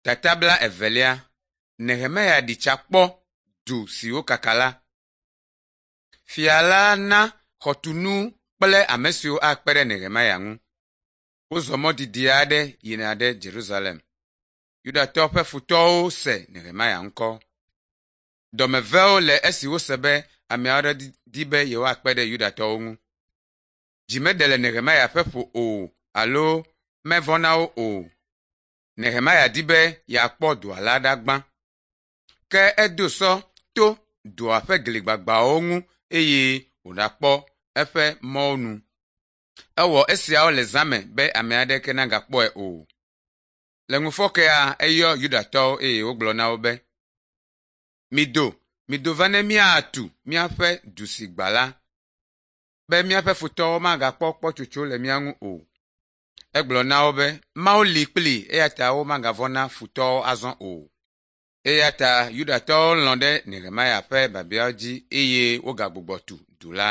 Tata bla evelia Nehemia ɖi tsa kpɔ du si wokaka la. Fia la na xɔtunu kple ame siwo akpe ɖe Nehemia ŋu. Wozɔ mɔ didi aɖe yina ɖe Yerusalem. Yudatɔwo ƒe futɔwo se Nehemia ŋkɔ. Dɔmevewo le esi wose be ame aɖe di be yewoakpe ɖe Yudatɔwo ŋu. Dzi meɖe le Nehemia ƒe ƒo o alo mevɔ̃ na wo o. Nehemia di be yeakpɔ dua la ɖa gbã. Ke edo sɔ to dua ƒe gli gbagbãwo ŋu eye wòɖakpɔ eƒe mɔwo nu. Ewɔ esiawo le zã me be ame aɖeke nagakpɔe o. Le ŋufɔkea eyɔ Yudatɔwo eye wògblɔ na wo be, “Mido, mido va ne míatu míaƒe du si gbã la, be míaƒe futɔwo magakpɔ kpɔtsotso le mía ŋu o.” Egblɔ na wo be Mawu li kpli eya ta womagavɔ̃ na futɔwo azɔ o. Eya ta Yudatɔwo lɔ̃ ɖe Nehemia ƒe biabiawo dzi eye wogagbugbɔ tu du la.